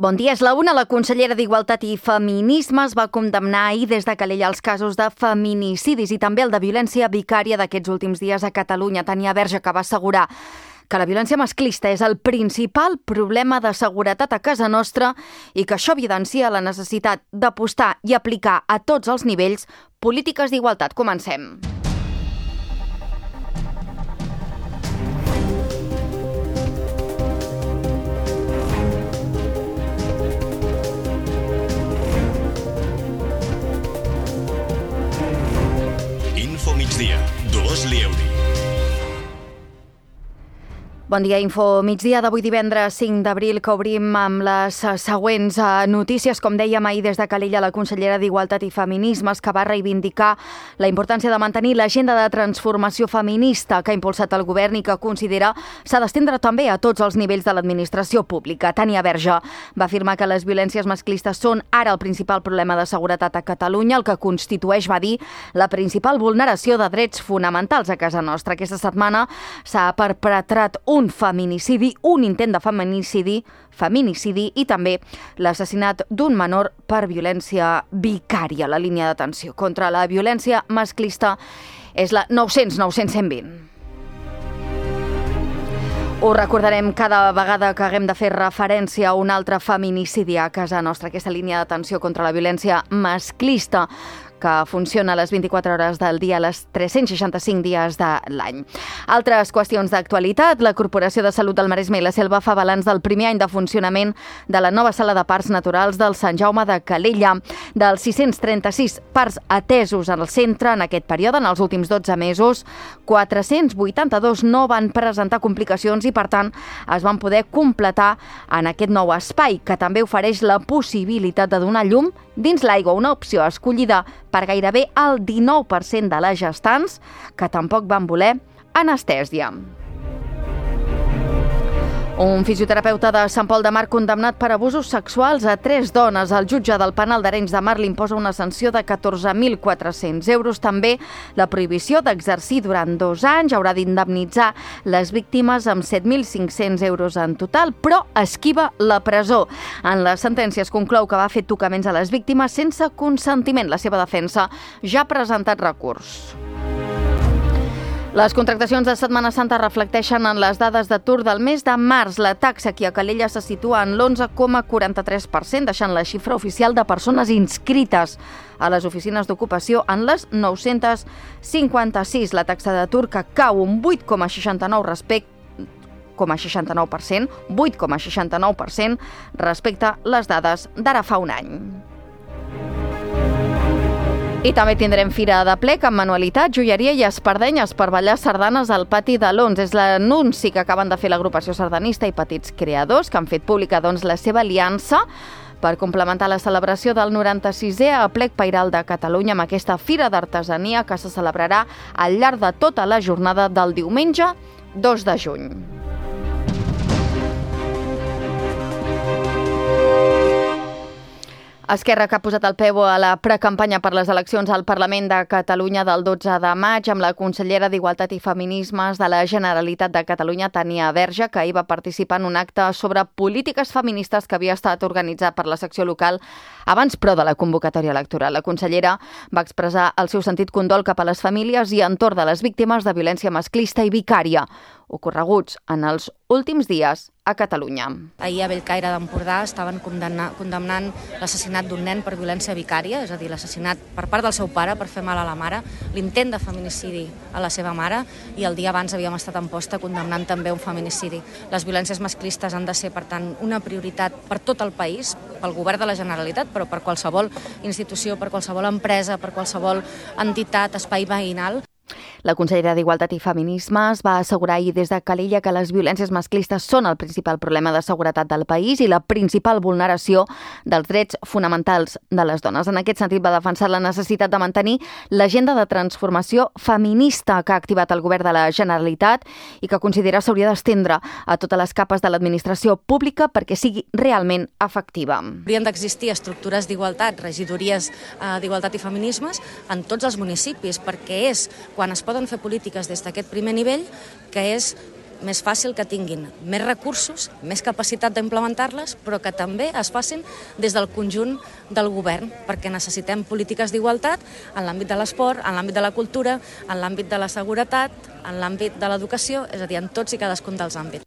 Bon dia, és la una. La consellera d'Igualtat i Feminismes va condemnar ahir des de Calella els casos de feminicidis i també el de violència vicària d'aquests últims dies a Catalunya. Tania Verge, que va assegurar que la violència masclista és el principal problema de seguretat a casa nostra i que això evidencia la necessitat d'apostar i aplicar a tots els nivells polítiques d'igualtat. Comencem. Info Migdia, Dolors Lieuri. Bon dia, Info Migdia d'avui divendres 5 d'abril, que obrim amb les següents notícies. Com dèiem ahir des de Calella, la consellera d'Igualtat i Feminismes, que va reivindicar la importància de mantenir l'agenda de transformació feminista que ha impulsat el govern i que considera s'ha d'estendre també a tots els nivells de l'administració pública. Tania Verge va afirmar que les violències masclistes són ara el principal problema de seguretat a Catalunya, el que constitueix, va dir, la principal vulneració de drets fonamentals a casa nostra. Aquesta setmana s'ha perpetrat un feminicidi, un intent de feminicidi i també l'assassinat d'un menor per violència vicària. La línia d'atenció contra la violència masclista és la 900 920. Ho recordarem cada vegada que haguem de fer referència a un altre feminicidi a casa nostra, aquesta línia d'atenció contra la violència masclista que funciona a les 24 hores del dia, a les 365 dies de l'any. Altres qüestions d'actualitat. La Corporació de Salut del Maresme i la Selva fa balanç del primer any de funcionament de la nova sala de parts naturals del Sant Jaume de Calella. Dels 636 parts atesos al centre en aquest període, en els últims 12 mesos, 482 no van presentar complicacions i, per tant, es van poder completar en aquest nou espai, que també ofereix la possibilitat de donar llum dins l'aigua, una opció escollida per gairebé el 19% de les gestants que tampoc van voler anestèsia. Un fisioterapeuta de Sant Pol de Mar condemnat per abusos sexuals a 3 dones. El jutge del penal d'Arenys de Mar li imposa una sanció de 14.400 euros. També la prohibició d'exercir durant 2 anys. Haurà d'indemnitzar les víctimes amb 7.500 euros en total, però esquiva la presó. En la sentència es conclou que va fer tocaments a les víctimes sense consentiment. La seva defensa ja ha presentat recurs. Les contractacions de Setmana Santa reflecteixen en les dades d'atur del mes de març. La taxa aquí a Calella se situa en l'11,43%, deixant la xifra oficial de persones inscrites a les oficines d'ocupació en les 956. La taxa d'atur que cau un 8,69% respecte a les dades d'ara fa un any. I també tindrem Fira de Plec amb manualitat, joieria i espardenyes per ballar sardanes al pati de l'Ons. És l'anunci que acaben de fer l'agrupació sardanista i petits creadors, que han fet pública la seva aliança per complementar la celebració del 96è Aplec Pairal de Catalunya amb aquesta Fira d'Artesania que se celebrarà al llarg de tota la jornada del diumenge 2 de juny. Esquerra, que ha posat el peu a la precampanya per les eleccions al Parlament de Catalunya del 12 de maig amb la consellera d'Igualtat i Feminismes de la Generalitat de Catalunya, Tania Verge, que ahir va participar en un acte sobre polítiques feministes que havia estat organitzat per la secció local abans, però, de la convocatòria electoral. La consellera va expressar el seu sentit condol cap a les famílies i entorn de les víctimes de violència masclista i vicària ocorreguts en els últims dies a Catalunya. Ahir a Bellcaire d'Empordà estaven condemnant l'assassinat d'un nen per violència vicària, és a dir, l'assassinat per part del seu pare per fer mal a la mare, l'intent de feminicidi a la seva mare, i el dia abans havíem estat a Amposta condemnant també un feminicidi. Les violències masclistes han de ser, per tant, una prioritat per tot el país, pel govern de la Generalitat, però per qualsevol institució, per qualsevol empresa, per qualsevol entitat, espai veïnal. La consellera d'Igualtat i Feminismes va assegurar ahir des de Calella que les violències masclistes són el principal problema de seguretat del país i la principal vulneració dels drets fonamentals de les dones. En aquest sentit, va defensar la necessitat de mantenir l'agenda de transformació feminista que ha activat el govern de la Generalitat i que considera s'hauria d'estendre a totes les capes de l'administració pública perquè sigui realment efectiva. Haurien d'existir estructures d'igualtat, regidories d'igualtat i feminismes en tots els municipis, perquè és quan es poden fer polítiques des d'aquest primer nivell, que és més fàcil que tinguin més recursos, més capacitat d'implementar-les, però que també es facin des del conjunt del govern, perquè necessitem polítiques d'igualtat en l'àmbit de l'esport, en l'àmbit de la cultura, en l'àmbit de la seguretat, en l'àmbit de l'educació, és a dir, en tots i cadascun dels àmbits.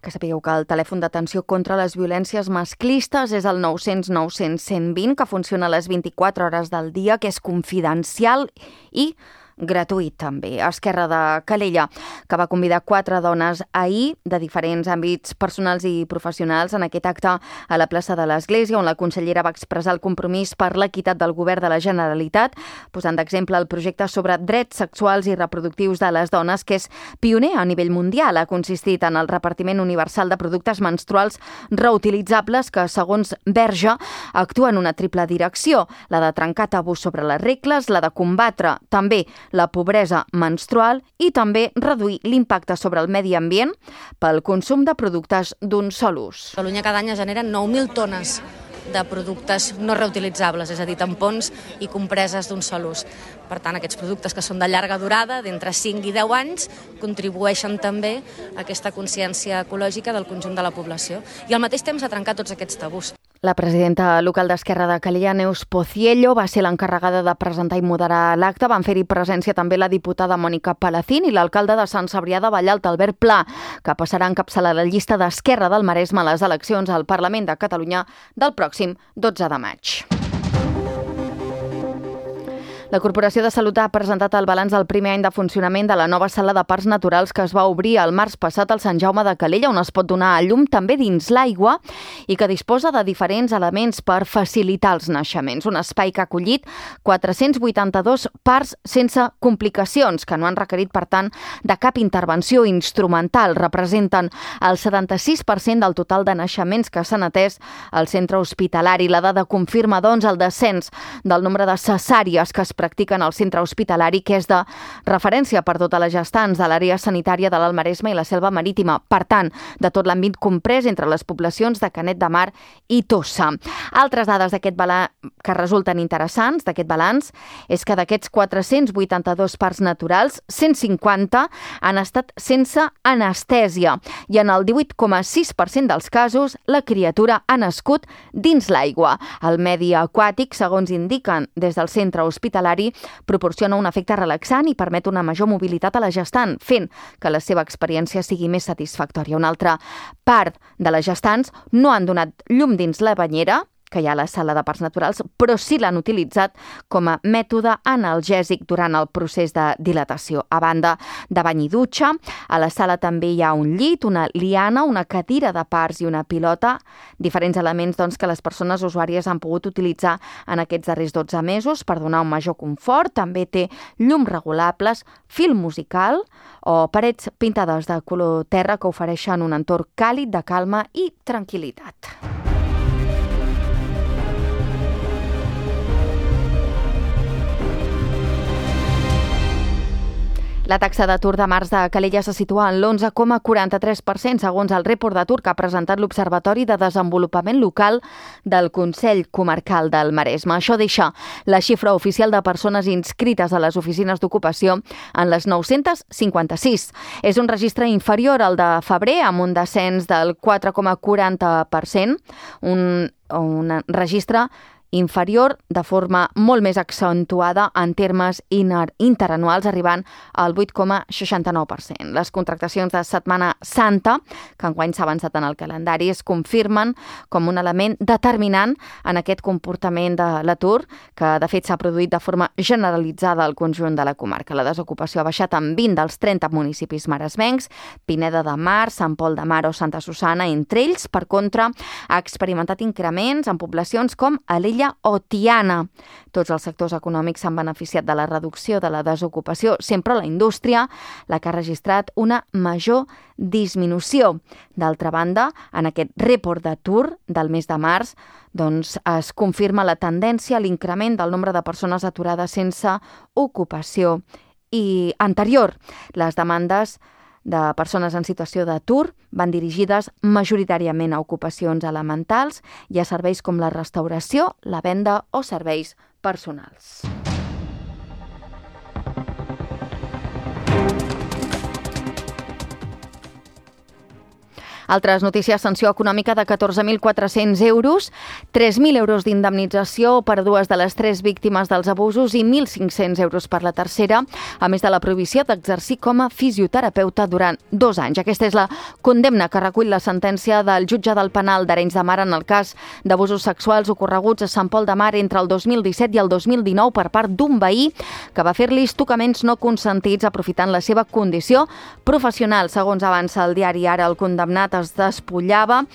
Que sapigueu que el telèfon d'atenció contra les violències masclistes és el 900 900 120, que funciona a les 24 hores del dia, que és confidencial i gratuït també. Esquerra de Calella, que va convidar 4 dones ahir de diferents àmbits personals i professionals en aquest acte a la plaça de l'Església, on la consellera va expressar el compromís per l'equitat del govern de la Generalitat, posant d'exemple el projecte sobre drets sexuals i reproductius de les dones, que és pioner a nivell mundial. Ha consistit en el repartiment universal de productes menstruals reutilitzables que, segons Verge, actua en una triple direcció: la de trencar tabús sobre les regles, la de combatre també la pobresa menstrual i també reduir l'impacte sobre el medi ambient pel consum de productes d'un sol ús. A Catalunya cada any es generen 9.000 tones de productes no reutilitzables, és a dir, tampons i compreses d'un sol ús. Per tant, aquests productes que són de llarga durada, d'entre 5 i 10 anys, contribueixen també a aquesta consciència ecològica del conjunt de la població. I al mateix temps a trencar tots aquests tabús. La presidenta local d'Esquerra de Calella, Neus Pociello, va ser l'encarregada de presentar i moderar l'acte. Van fer-hi presència també la diputada Mònica Palacín i l'alcalde de Sant Cebrià de Vallalta, Albert Pla, que passarà a encapçalar la llista d'Esquerra del Maresme a les eleccions al Parlament de Catalunya del pròxim 12 de maig. La Corporació de Salut ha presentat el balanç del primer any de funcionament de la nova sala de parcs naturals que es va obrir el març passat al Sant Jaume de Calella, on es pot donar a llum també dins l'aigua i que disposa de diferents elements per facilitar els naixements. Un espai que ha acollit 482 parts sense complicacions, que no han requerit, per tant, de cap intervenció instrumental. Representen el 76% del total de naixements que s'han atès al centre hospitalari. La dada confirma, doncs, el descens del nombre de cesàries que es practiquen al centre hospitalari, que és de referència per totes les gestants de l'àrea sanitària de l'Alt Maresme i la Selva Marítima. Per tant, de tot l'àmbit comprès entre les poblacions de Canet de Mar i Tossa. Altres dades d'aquest balanç que resulten interessants d'aquest balanç és que d'aquests 482 parts naturals, 150 han estat sense anestèsia i en el 18,6% dels casos la criatura ha nascut dins l'aigua. El medi aquàtic, segons indiquen des del centre hospitalari, proporciona un efecte relaxant i permet una major mobilitat a la gestant, fent que la seva experiència sigui més satisfactòria. Una altra part de les gestants no han donat llum dins la banyera, que hi ha a la sala de parcs naturals, però sí l'han utilitzat com a mètode analgèsic durant el procés de dilatació. A banda de bany i dutxa, a la sala també hi ha un llit, una liana, una cadira de parts i una pilota, diferents elements doncs, que les persones usuàries han pogut utilitzar en aquests darrers 12 mesos per donar un major confort. També té llums regulables, fil musical o parets pintades de color terra que ofereixen un entorn càlid de calma i tranquil·litat. La taxa d'atur de març de Calella se situa en l'11,43%, segons el report d'atur que ha presentat l'Observatori de Desenvolupament Local del Consell Comarcal del Maresme. Això deixa la xifra oficial de persones inscrites a les oficines d'ocupació en les 956. És un registre inferior al de febrer, amb un descens del 4,40%, un registre inferior de forma molt més accentuada en termes interanuals, arribant al 8,69%. Les contractacions de Setmana Santa, que enguany s'ha avançat en el calendari, es confirmen com un element determinant en aquest comportament de l'atur, que de fet s'ha produït de forma generalitzada al conjunt de la comarca. La desocupació ha baixat en 20 dels 30 municipis maresmencs, Pineda de Mar, Sant Pol de Mar o Santa Susanna, entre ells. Per contra, ha experimentat increments en poblacions com Alella o Tiana. Tots els sectors econòmics s'han beneficiat de la reducció de la desocupació, sempre la indústria, la que ha registrat una major disminució. D'altra banda, en aquest report d'atur del mes de març, doncs es confirma la tendència a l'increment del nombre de persones aturades sense ocupació i anterior. Les demandes de persones en situació d'atur van dirigides majoritàriament a ocupacions elementals i a serveis com la restauració, la venda o serveis personals. Altres notícies: sanció econòmica de 14.400 euros, 3.000 euros d'indemnització per 2 de les 3 víctimes dels abusos i 1.500 euros per la tercera, a més de la prohibició d'exercir com a fisioterapeuta durant 2 anys. Aquesta és la condemna que recull la sentència del jutge del penal d'Arenys de Mar en el cas d'abusos sexuals ocorreguts a Sant Pol de Mar entre el 2017 i el 2019 per part d'un veí que va fer-li tocaments no consentits aprofitant la seva condició professional. Segons avança el diari Ara, el condemnat es despullava,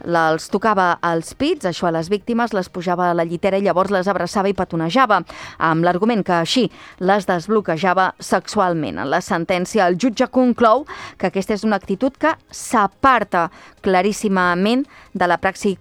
els tocava als pits, això a les víctimes, les pujava a la llitera i llavors les abraçava i petonejava, amb l'argument que així les desbloquejava sexualment. En la sentència, el jutge conclou que aquesta és una actitud que s'aparta claríssimament de la praxi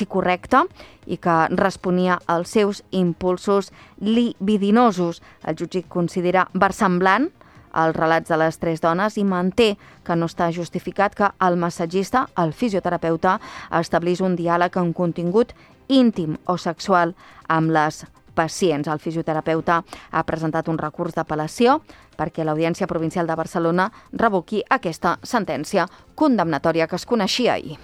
correcta i que responia als seus impulsos libidinosos. El jutge considera versemblant els relats de les 3 dones i manté que no està justificat que el massatgista, el fisioterapeuta, establís un diàleg amb contingut íntim o sexual amb les pacients. El fisioterapeuta ha presentat un recurs d'apel·lació perquè l'Audiència Provincial de Barcelona revoqui aquesta sentència condemnatòria que es coneixia ahir.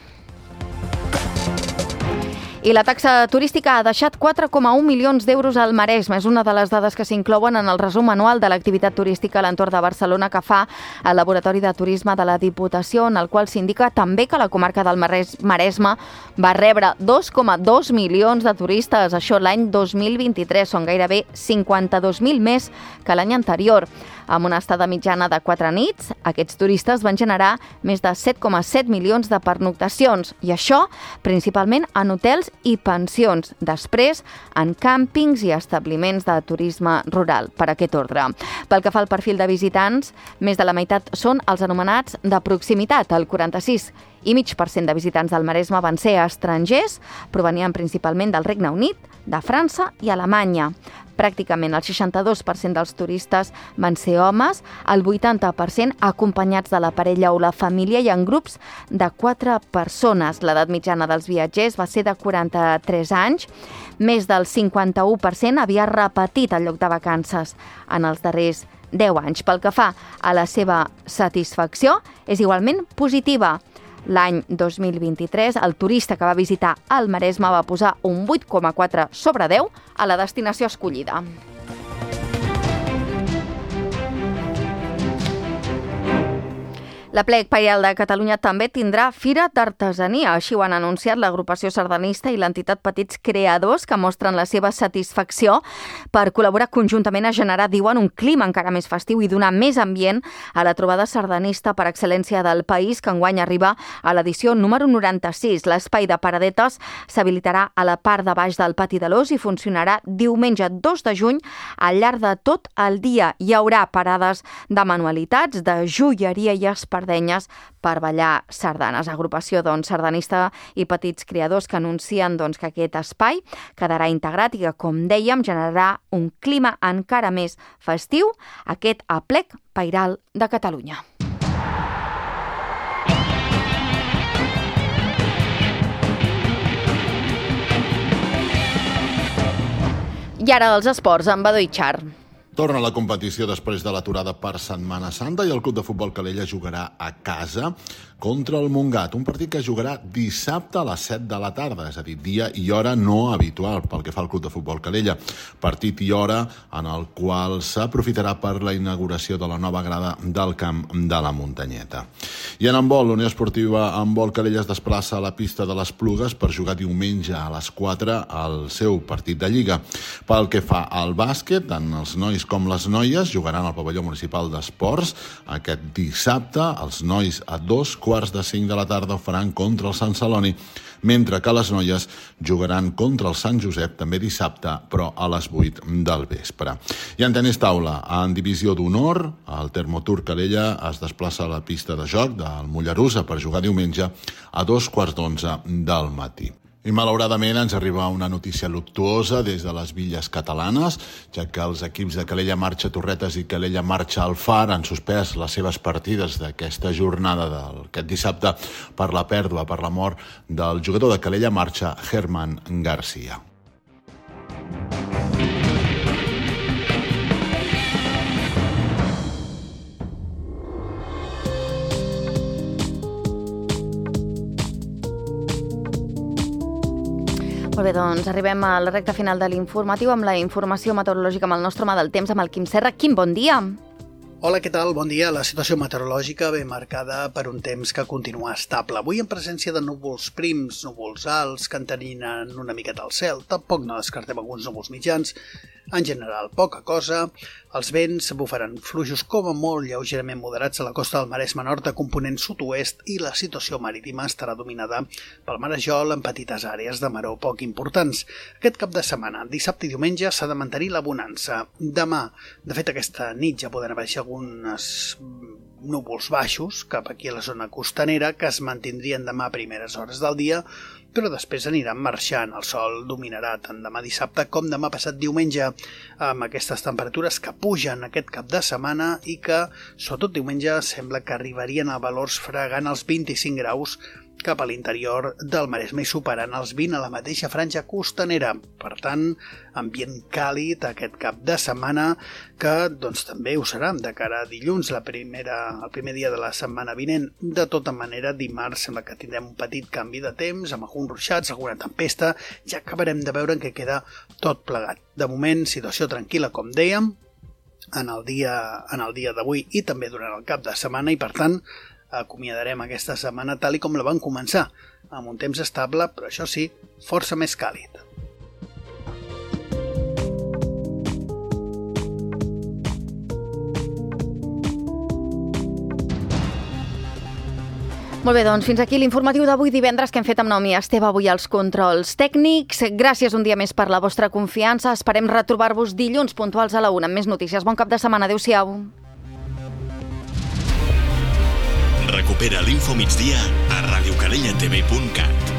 I la taxa turística ha deixat 4,1 milions d'euros al Maresme. És una de les dades que s'inclouen en el resum anual de l'activitat turística a l'entorn de Barcelona que fa el Laboratori de Turisme de la Diputació, en el qual s'indica també que la comarca del Maresme va rebre 2,2 milions de turistes. Això l'any 2023. Són gairebé 52.000 més que l'any anterior. Amb una estada mitjana de 4 nits, aquests turistes van generar més de 7,7 milions de pernoctacions, i això principalment en hotels i pensions, després en càmpings i establiments de turisme rural, per aquest ordre. Pel que fa al perfil de visitants, més de la meitat són els anomenats de proximitat. El 46,5% de visitants del Maresme van ser estrangers, provenien principalment del Regne Unit, de França i Alemanya. Pràcticament el 62% dels turistes van ser homes, el 80% acompanyats de la parella o la família i en grups de 4 persones. L'edat mitjana dels viatgers va ser de 43 anys. Més del 51% havia repetit el lloc de vacances en els darrers 10 anys. Pel que fa a la seva satisfacció, és igualment positiva. L'any 2023, el turista que va visitar el Maresme va posar un 8,4 sobre 10 a la destinació escollida. L'Aplec Pairal de Catalunya també tindrà Fira d'Artesania. Així ho han anunciat l'agrupació sardanista i l'entitat Petits Creadors, que mostren la seva satisfacció per col·laborar conjuntament a generar, diuen, un clima encara més festiu i donar més ambient a la trobada sardanista per excel·lència del país, que enguany arriba a l'edició número 96. L'espai de paradetes s'habilitarà a la part de baix del pati de l'Ós i funcionarà diumenge 2 de juny al llarg de tot el dia. Hi haurà parades de manualitats, de joieria i espardenyes per ballar sardanes. Agrupació sardanista i Petits Creadors que anuncien que aquest espai quedarà integrat i que, com dèiem, generarà un clima encara més festiu, aquest Aplec Pairal de Catalunya. I ara dels esports, amb Badó Itxar. Torna la competició després de l'aturada per Setmana Santa i el Club de Futbol Calella jugarà a casa contra el Montgat, un partit que jugarà dissabte a les 7 de la tarda, és a dir, dia i hora no habitual pel que fa al Club de Futbol Calella. Partit i hora en el qual s'aprofitarà per la inauguració de la nova grada del camp de la Muntanyeta. I en handbol, l'Unió Esportiva Handbol Calella es desplaça a la pista de l'Esplugues per jugar diumenge a les 4 al seu partit de Lliga. Pel que fa al bàsquet, tant els nois com les noies jugaran al pavelló municipal d'esports aquest dissabte. Els nois a 2:45 de la tarda ho faran contra el Sant Celoni, mentre que les noies jugaran contra el Sant Josep també dissabte, però a les 8 del vespre. I en tenis taula, en divisió d'honor, el Termotur Calella es desplaça a la pista de joc del Mollerussa per jugar diumenge a 2:15 del matí. I malauradament ens arriba una notícia luctuosa des de les Villes Catalanes, ja que els equips de Calella Marxa Torretes i Calella Marxa Alfar han suspès les seves partides d'aquesta jornada d'aquest dissabte per la pèrdua, per la mort del jugador de Calella Marxa, Germán García. Molt bé, doncs arribem a la recta final de l'informatiu amb la informació meteorològica amb el nostre home del temps, amb el Quim Serra. Quim, bon dia. Hola, què tal? Bon dia. La situació meteorològica ve marcada per un temps que continua estable. Avui en presència de núvols prims, núvols alts, que enteninen una miqueta al cel. Tampoc no descartem alguns núvols mitjans. En general, poca cosa. Els vents bufaran fluixos com a molt lleugerament moderats a la costa del Maresme Nord de component sud-oest i la situació marítima estarà dominada pel marejol en petites àrees de maror poc importants. Aquest cap de setmana, dissabte i diumenge, s'ha de mantenir la bonança. Demà, de fet aquesta nit ja poden aparèixer alguns núvols baixos cap aquí a la zona costanera que es mantindrien demà a primeres hores del dia, però després aniran marxant. El sol dominarà tant demà dissabte com demà passat diumenge, amb aquestes temperatures que pugen aquest cap de setmana i que, sobretot diumenge, sembla que arribarien a valors fregant els 25 graus cap a l'interior del Maresme i superant els 20 a la mateixa franja costanera. Per tant, ambient càlid aquest cap de setmana que doncs, també ho serà de cara a dilluns, el primer dia de la setmana vinent. De tota manera, dimarts sembla que tindrem un petit canvi de temps, amb alguns ruixats, alguna tempesta, ja acabarem de veure en què queda tot plegat. De moment, situació tranquil·la, com dèiem, en el dia d'avui i també durant el cap de setmana i, per tant, acomiadarem aquesta setmana tal i com la van començar, amb un temps estable, però això sí, força més càlid. Molt bé, doncs fins aquí l'informatiu d'avui divendres que hem fet amb Naomi Esteve avui als controls tècnics. Gràcies un dia més per la vostra confiança. Esperem retrobar-vos dilluns puntuals a la 1 amb més notícies. Bon cap de setmana. Adéu-siau. Recupera l'Infomigdia a radiocadellatv.cat.